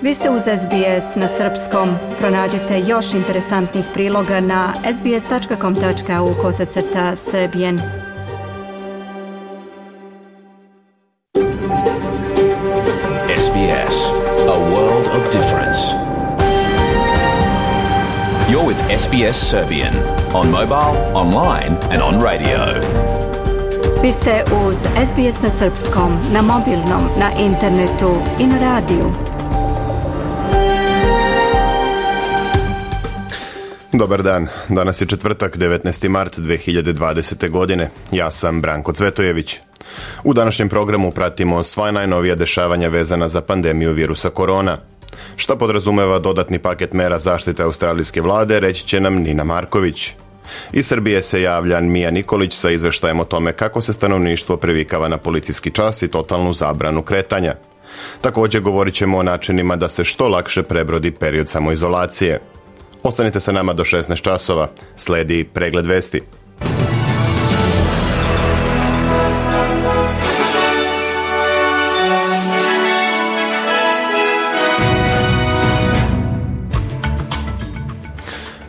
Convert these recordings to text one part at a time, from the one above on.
Vi ste uz SBS na srpskom. Pronađite još interesantnih priloga na sbs.com.au/srbijen. SBS, a world of difference. You're with SBS Serbian on mobile, online and on radio. Vi ste uz SBS na srpskom, na mobilnom, na internetu i na radiju. Dobar dan, danas je četvrtak, 19. mart 2020. godine. Ja sam Branko Cvetojević. U današnjem programu pratimo sva najnovija dešavanja vezana za pandemiju virusa korona. Šta podrazumeva dodatni paket mera zaštite australijske vlade, reći će nam Nina Marković. Iz Srbije se javlja Mija Nikolić sa izveštajem o tome kako se stanovništvo previkava na policijski čas i totalnu zabranu kretanja. Također govorit ćemo o načinima da se što lakše prebrodi period samoizolacije. Ostanite sa nama do 16 časova. Slijedi pregled vesti.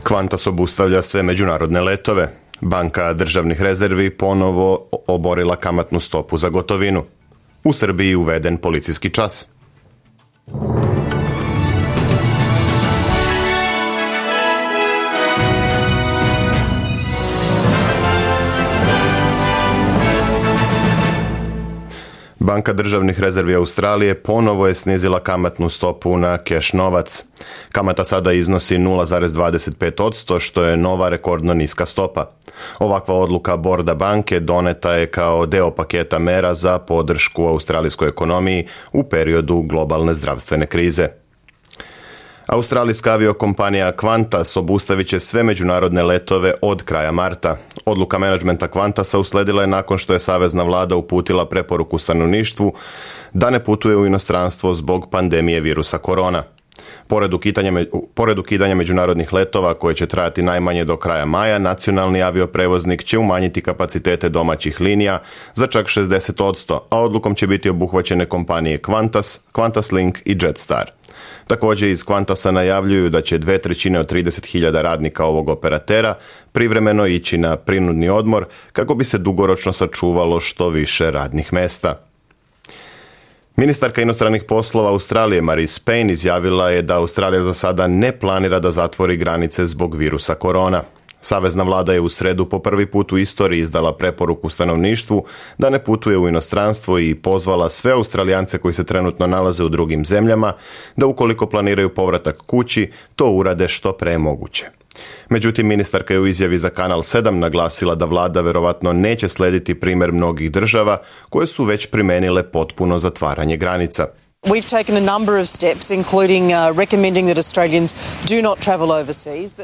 Qantas obustavlja sve međunarodne letove. Banka državnih rezervi ponovo oborila kamatnu stopu za gotovinu. U Srbiji uveden policijski čas. Banka državnih rezervi Australije ponovo je snizila kamatnu stopu na keš novac. Kamata sada iznosi 0,25%, što je nova rekordno niska stopa. Ovakva odluka borda banke doneta je kao deo paketa mera za podršku australijskoj ekonomiji u periodu globalne zdravstvene krize. Australijska aviokompanija Qantas obustavit će sve međunarodne letove od kraja marta. Odluka menadžmenta Qantasa usledila je nakon što je savezna vlada uputila preporuku stanovništvu da ne putuje u inostranstvo zbog pandemije virusa korona. Pored ukidanja međunarodnih letova koje će trajati najmanje do kraja maja, nacionalni avioprevoznik će umanjiti kapacitete domaćih linija za čak 60%, a odlukom će biti obuhvaćene kompanije Qantas, QantasLink i Jetstar. Također iz Qantasa najavljuju da će 2/3 od 30.000 radnika ovog operatera privremeno ići na prinudni odmor kako bi se dugoročno sačuvalo što više radnih mjesta. Ministarka inostranih poslova Australije Marise Payne izjavila je da Australija za sada ne planira da zatvori granice zbog virusa korona. Savezna vlada je u sredu po prvi put u istoriji izdala preporuku stanovništvu da ne putuje u inostranstvo i pozvala sve Australijance koji se trenutno nalaze u drugim zemljama da ukoliko planiraju povratak kući, to urade što pre moguće. Međutim, ministarka je u izjavi za Kanal 7 naglasila da vlada verovatno neće slediti primjer mnogih država koje su već primenile potpuno zatvaranje granica. We've taken a number of steps, including recommending that Australians do not travel overseas.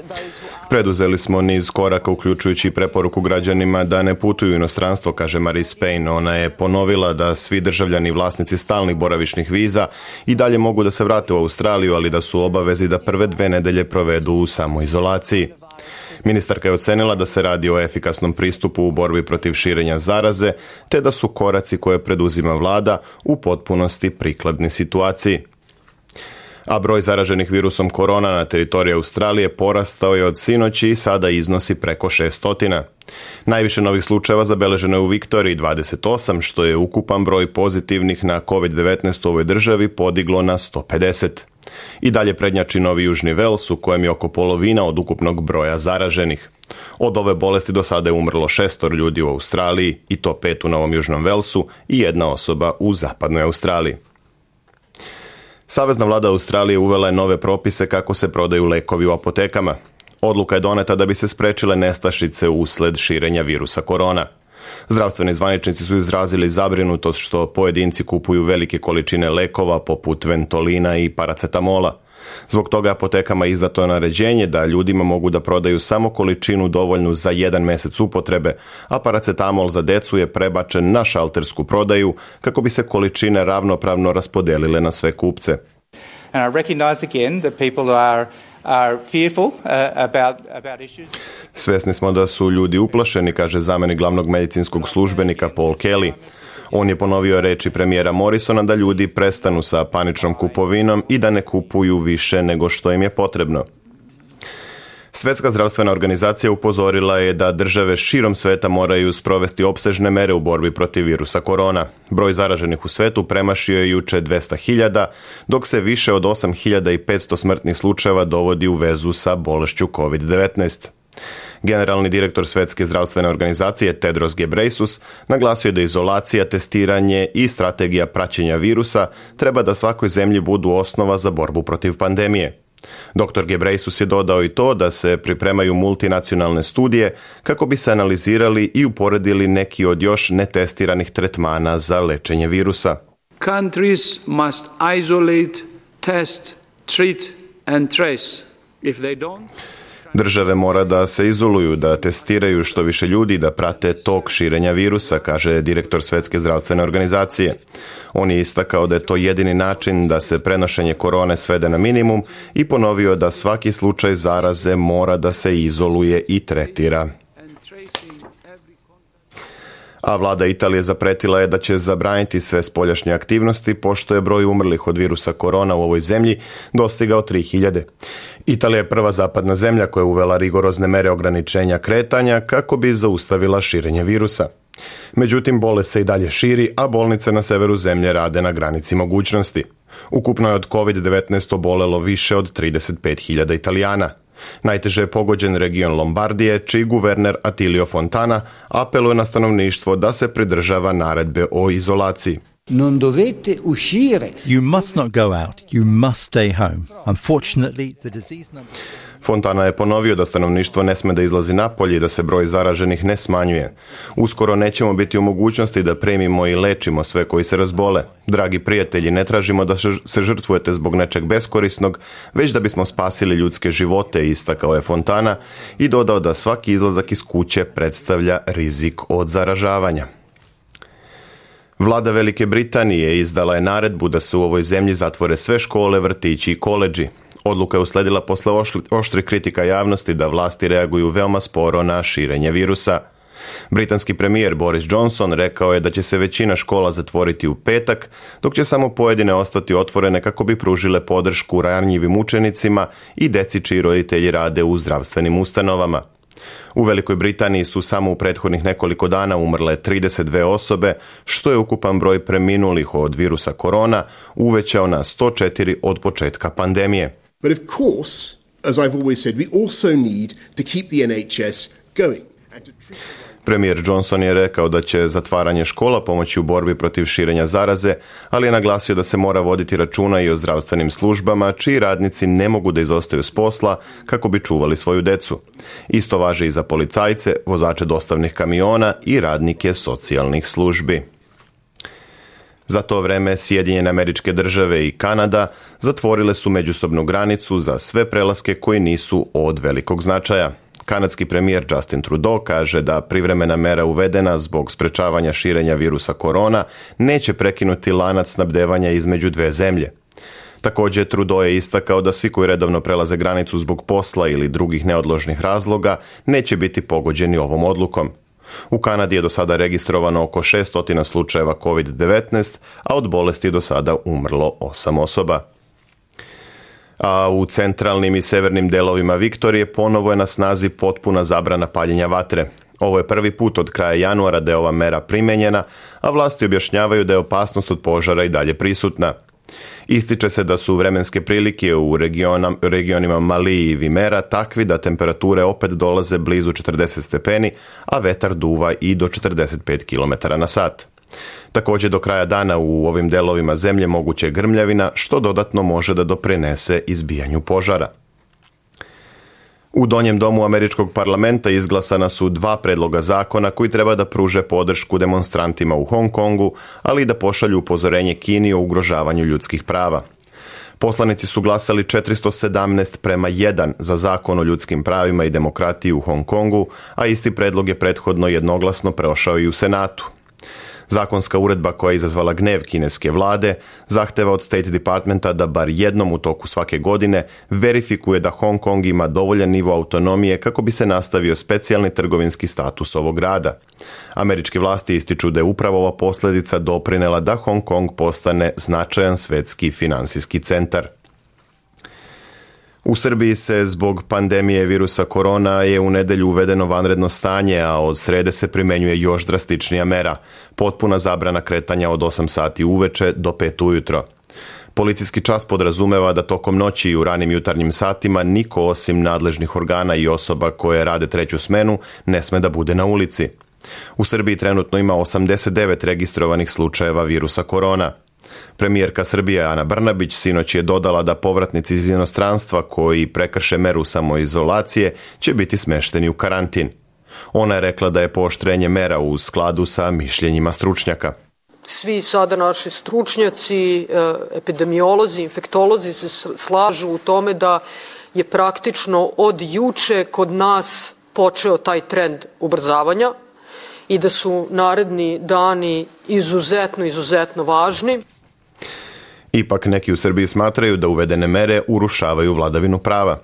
Preduzeli smo niz koraka, uključujući preporuku građanima da ne putuju u inostranstvo, kaže Marise Payne. Ona je ponovila da svi državljani i vlasnici stalnih boravišnih viza i dalje mogu da se vrate u Australiju, ali da su obavezi da prve 2 nedelje provedu u samoizolaciji. Ministarka je ocenila da se radi o efikasnom pristupu u borbi protiv širenja zaraze, te da su koraci koje preduzima vlada u potpunosti prikladni situaciji. A broj zaraženih virusom korona na teritoriji Australije porastao je od sinoći i sada iznosi preko 600. Najviše novih slučajeva zabeleženo je u Viktoriji 28, što je ukupan broj pozitivnih na COVID-19 u ovoj državi podiglo na 150. I dalje prednjači Novi Južni Vels, u kojem je oko polovina od ukupnog broja zaraženih. Od ove bolesti do sada je umrlo 6 ljudi u Australiji, i to 5 u Novom Južnom Velsu i 1 osoba u zapadnoj Australiji. Savezna vlada Australije uvela je nove propise kako se prodaju lekovi u apotekama. Odluka je doneta da bi se sprečile nestašice usled širenja virusa korona. Zdravstveni zvaničnici su izrazili zabrinutost što pojedinci kupuju velike količine lekova poput Ventolina i paracetamola. Zbog toga apotekama je izdato naređenje da ljudima mogu da prodaju samo količinu dovoljnu za 1 mjesec upotrebe, a paracetamol za decu je prebačen na šaltersku prodaju kako bi se količine ravnopravno raspodelile na sve kupce. And I recognize again that people are fearful about issues. Svesni smo da su ljudi uplašeni, kaže zamjenik glavnog medicinskog službenika Paul Kelly. On je ponovio reči premijera Morrisona da ljudi prestanu sa paničnom kupovinom i da ne kupuju više nego što im je potrebno. Svjetska zdravstvena organizacija upozorila je da države širom sveta moraju sprovesti opsežne mere u borbi protiv virusa korona. Broj zaraženih u svetu premašio je juče 200.000, dok se više od 8.500 smrtnih slučajeva dovodi u vezu sa bolešću COVID-19. Generalni direktor Svjetske zdravstvene organizacije Tedros Ghebreyesus naglasio je da izolacija, testiranje i strategija praćenja virusa treba da svakoj zemlji budu osnova za borbu protiv pandemije. Dr. Ghebreyesus je dodao i to da se pripremaju multinacionalne studije kako bi se analizirali i uporedili neki od još netestiranih tretmana za lečenje virusa. Countries must isolate, test, treat and trace. If they don't... Države mora da se izoluju, da testiraju što više ljudi, da prate tok širenja virusa, kaže direktor Svjetske zdravstvene organizacije. On je istakao da je to jedini način da se prenošenje korone svede na minimum i ponovio da svaki slučaj zaraze mora da se izoluje i tretira. A vlada Italije zapretila je da će zabraniti sve spoljašnje aktivnosti pošto je broj umrlih od virusa korona u ovoj zemlji dostigao 3.000. Italija je prva zapadna zemlja koja je uvela rigorozne mere ograničenja kretanja kako bi zaustavila širenje virusa. Međutim, bolest se i dalje širi, a bolnice na severu zemlje rade na granici mogućnosti. Ukupno je od COVID-19 obolelo više od 35.000 Italijana. Najteže je pogođen region Lombardije, čiji guverner Attilio Fontana apeluje na stanovništvo da se pridržava naredbe o izolaciji. Non dovete uscire. You must not go out. You must stay home. Unfortunately, the disease number... Fontana je ponovio da stanovništvo ne sme da izlazi napolje i da se broj zaraženih ne smanjuje. Uskoro nećemo biti u mogućnosti da primimo i lečimo sve koji se razbole. Dragi prijatelji, ne tražimo da se žrtvujete zbog nečeg beskorisnog, već da bismo spasili ljudske živote, istakao je Fontana i dodao da svaki izlazak iz kuće predstavlja rizik od zaražavanja. Vlada Velike Britanije izdala je naredbu da se u ovoj zemlji zatvore sve škole, vrtići i koledži. Odluka je usledila posle oštrih kritika javnosti da vlasti reaguju veoma sporo na širenje virusa. Britanski premijer Boris Johnson rekao je da će se većina škola zatvoriti u petak, dok će samo pojedine ostati otvorene kako bi pružile podršku ranjivim učenicima i deci čiji roditelji rade u zdravstvenim ustanovama. U Velikoj Britaniji su samo u prethodnih nekoliko dana umrle 32 osobe, što je ukupan broj preminulih od virusa korona uvećao na 104 od početka pandemije. But of course, as I've always said, we also need to keep the NHS going. Premijer Johnson je rekao da će zatvaranje škola pomoći u borbi protiv širenja zaraze, ali je naglasio da se mora voditi računa i o zdravstvenim službama, čiji radnici ne mogu da izostaju s posla kako bi čuvali svoju decu. Isto važi i za policajce, vozače dostavnih kamiona i radnike socijalnih službi. Za to vreme Sjedinjene Američke Države i Kanada zatvorile su međusobnu granicu za sve prelaske koji nisu od velikog značaja. Kanadski premijer Justin Trudeau kaže da privremena mera uvedena zbog sprečavanja širenja virusa korona neće prekinuti lanac snabdevanja između dve zemlje. Također, Trudeau je istakao da svi koji redovno prelaze granicu zbog posla ili drugih neodložnih razloga neće biti pogođeni ovom odlukom. U Kanadi je do sada registrovano oko 600 slučajeva COVID-19, a od bolesti je do sada umrlo 8 osoba. A u centralnim i severnim delovima Viktorije ponovo je na snazi potpuna zabrana paljenja vatre. Ovo je prvi put od kraja januara da je ova mera primenjena, a vlasti objašnjavaju da je opasnost od požara i dalje prisutna. Ističe se da su vremenske prilike u regionima Mali i Vimera takvi da temperature opet dolaze blizu 40 stepeni, a vetar duva i do 45 km na sat. Također do kraja dana u ovim delovima zemlje moguće je grmljavina, što dodatno može da doprinese izbijanju požara. U Donjem domu američkog parlamenta izglasana su 2 predloga zakona koji treba da pruže podršku demonstrantima u Hong Kongu, ali i da pošalju upozorenje Kini o ugrožavanju ljudskih prava. Poslanici su glasali 417:1 za zakon o ljudskim pravima i demokratiji u Hong Kongu, a isti predlog je prethodno jednoglasno prošao i u Senatu. Zakonska uredba koja je izazvala gnev kineske vlade zahteva od State Departmenta da bar jednom u toku svake godine verifikuje da Hong Kong ima dovoljan nivo autonomije kako bi se nastavio specijalni trgovinski status ovog grada. Američke vlasti ističu da je upravo ova posljedica doprinela da Hong Kong postane značajan svetski finansijski centar. U Srbiji se zbog pandemije virusa korona je u nedjelju uvedeno vanredno stanje, a od srede se primjenjuje još drastičnija mera, potpuna zabrana kretanja od 8 sati uveče do 5 ujutro. Policijski čas podrazumeva da tokom noći i u ranim jutarnjim satima niko osim nadležnih organa i osoba koje rade treću smenu ne sme da bude na ulici. U Srbiji trenutno ima 89 registrovanih slučajeva virusa korona. Premijerka Srbije Ana Brnabić sinoć je dodala da povratnici iz inostranstva koji prekrše meru samoizolacije će biti smešteni u karantin. Ona je rekla da je pooštrenje mera u skladu sa mišljenjima stručnjaka. Svi sada naši stručnjaci, epidemiolozi, infektolozi se slažu u tome da je praktično od juče kod nas počeo taj trend ubrzavanja i da su naredni dani izuzetno važni. Ipak neki u Srbiji smatraju da uvedene mere urušavaju vladavinu prava.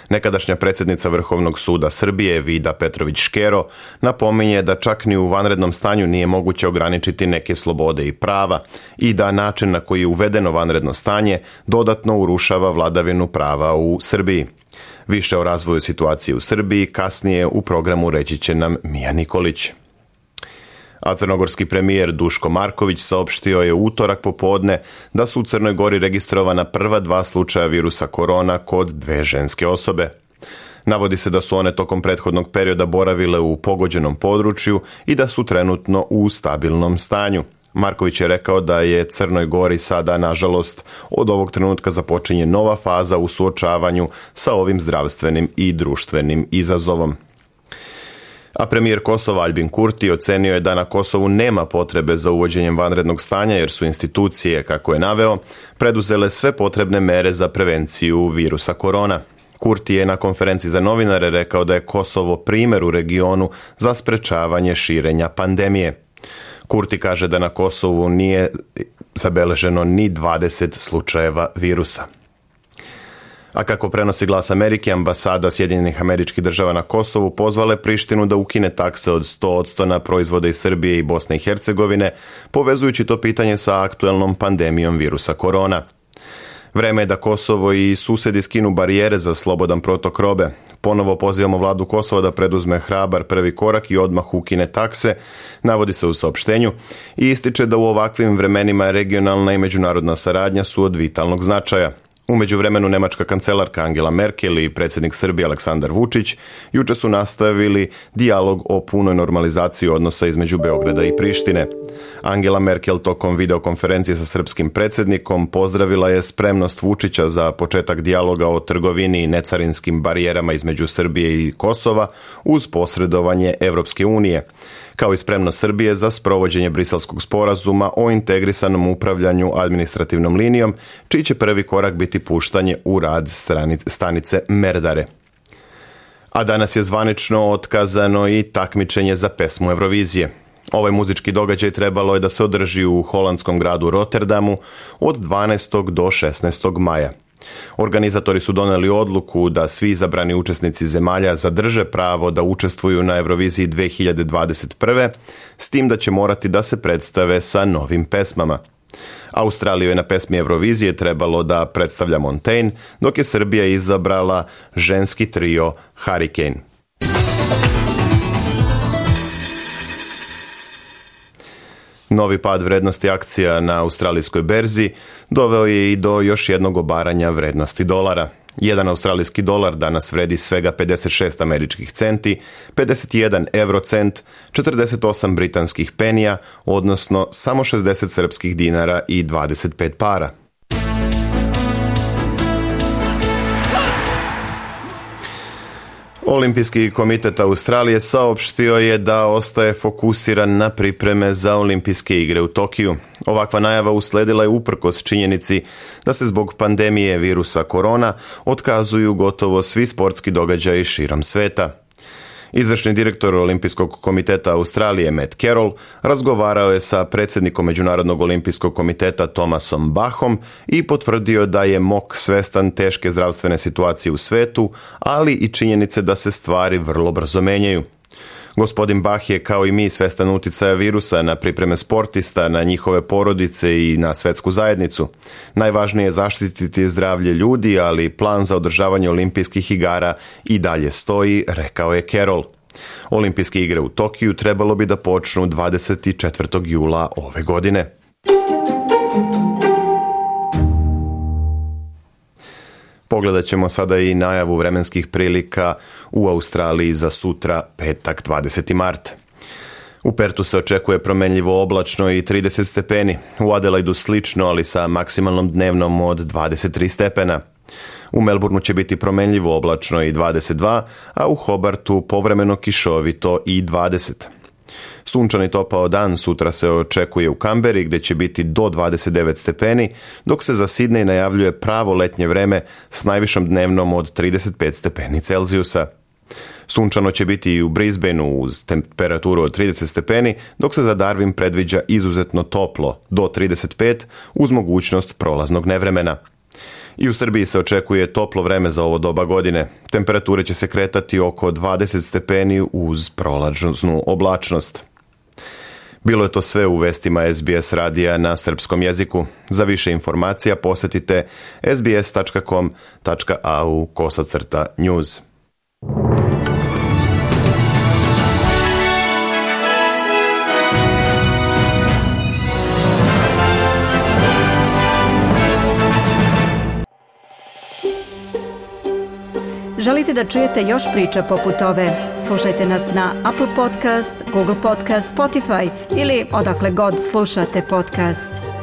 Nekadašnja predsjednica Vrhovnog suda Srbije Vida Petrović-Škero napominje da čak ni u vanrednom stanju nije moguće ograničiti neke slobode i prava i da način na koji je uvedeno vanredno stanje dodatno urušava vladavinu prava u Srbiji. Više o razvoju situacije u Srbiji kasnije u programu reći će nam Mija Nikolić. A crnogorski premijer Duško Marković saopštio je u utorak popodne da su u Crnoj Gori registrovana prva 2 slučaja virusa korona kod 2 ženske osobe. Navodi se da su one tokom prethodnog perioda boravile u pogođenom području i da su trenutno u stabilnom stanju. Marković je rekao da je Crnoj Gori sada, nažalost, od ovog trenutka započinje nova faza u suočavanju sa ovim zdravstvenim i društvenim izazovom. A premijer Kosova Albin Kurti ocenio je da na Kosovu nema potrebe za uvođenjem vanrednog stanja jer su institucije, kako je naveo, preduzele sve potrebne mere za prevenciju virusa korona. Kurti je na konferenciji za novinare rekao da je Kosovo primjer u regionu za sprečavanje širenja pandemije. Kurti kaže da na Kosovu nije zabeleženo ni 20 slučajeva virusa. A kako prenosi Glas Amerike, ambasada Sjedinjenih Američkih Država na Kosovu pozvala je Prištinu da ukine takse od 100% na proizvode iz Srbije i Bosne i Hercegovine, povezujući to pitanje sa aktuelnom pandemijom virusa korona. Vreme je da Kosovo i susjedi skinu barijere za slobodan protok robe. Ponovo pozivamo vladu Kosova da preduzme hrabar prvi korak i odmah ukine takse, navodi se u saopštenju, i ističe da u ovakvim vremenima regionalna i međunarodna saradnja su od vitalnog značaja. U međuvremenu nemačka kancelarka Angela Merkel i predsjednik Srbije Aleksandar Vučić juče su nastavili dijalog o punoj normalizaciji odnosa između Beograda i Prištine. Angela Merkel tokom videokonferencije sa srpskim predsjednikom pozdravila je spremnost Vučića za početak dijaloga o trgovini i necarinskim barijerama između Srbije i Kosova uz posredovanje Evropske unije, kao i spremnost Srbije za sprovođenje Briselskog sporazuma o integrisanom upravljanju administrativnom linijom, čiji će prvi korak biti puštanje u rad stanice Merdare. A danas je zvanično otkazano i takmičenje za pesmu Eurovizije. Ovaj muzički događaj trebalo je da se održi u holandskom gradu Rotterdamu od 12. do 16. maja. Organizatori su doneli odluku da svi izabrani učesnici zemalja zadrže pravo da učestvuju na Euroviziji 2021. s tim da će morati da se predstave sa novim pesmama. Australiju je na pesmi Eurovizije trebalo da predstavlja Montaigne, dok je Srbija izabrala ženski trio Hurricane. Novi pad vrednosti akcija na australijskoj berzi doveo je i do još jednog obaranja vrednosti dolara. Jedan australijski dolar danas vredi svega 56 američkih centi, 51 eurocent, 48 britanskih penija, odnosno samo 60 srpskih dinara i 25 para. Olimpijski komitet Australije saopštio je da ostaje fokusiran na pripreme za Olimpijske igre u Tokiju. Ovakva najava usledila je uprkos činjenici da se zbog pandemije virusa korona otkazuju gotovo svi sportski događaji širom sveta. Izvršni direktor Olimpijskog komiteta Australije Matt Carroll razgovarao je sa predsjednikom Međunarodnog olimpijskog komiteta Thomasom Bachom i potvrdio da je MOK svestan teške zdravstvene situacije u svetu, ali i činjenice da se stvari vrlo brzo menjaju. Gospodin Bach je kao i mi svestan uticaja virusa na pripreme sportista, na njihove porodice i na svetsku zajednicu. Najvažnije je zaštititi zdravlje ljudi, ali plan za održavanje olimpijskih igara i dalje stoji, rekao je Carroll. Olimpijske igre u Tokiju trebalo bi da počnu 24. jula ove godine. Pogledat ćemo sada i najavu vremenskih prilika u Australiji za sutra, petak 20. mart. U Pertu se očekuje promenljivo oblačno i 30 stepeni, u Adelaidu slično, ali sa maksimalnom dnevnom od 23 stepena. U Melbourneu će biti promenljivo oblačno i 22, a u Hobartu povremeno kišovito i 20. Sunčan i topao dan sutra se očekuje u Kamberi gdje će biti do 29 stepeni, dok se za Sidney najavljuje pravo letnje vreme s najvišom dnevnom od 35 stepeni Celzijusa. Sunčano će biti i u Brisbaneu uz temperaturu od 30 stepeni, dok se za Darwin predviđa izuzetno toplo do 35 uz mogućnost prolaznog nevremena. I u Srbiji se očekuje toplo vreme za ovo doba godine. Temperature će se kretati oko 20 stepeni uz prolaznu oblačnost. Bilo je to sve u vestima SBS radija na srpskom jeziku. Za više informacija posjetite sbs.com.au/news. Želite da čujete još priča poput ove? Slušajte nas na Apple Podcast, Google Podcast, Spotify ili odakle god slušate podcast.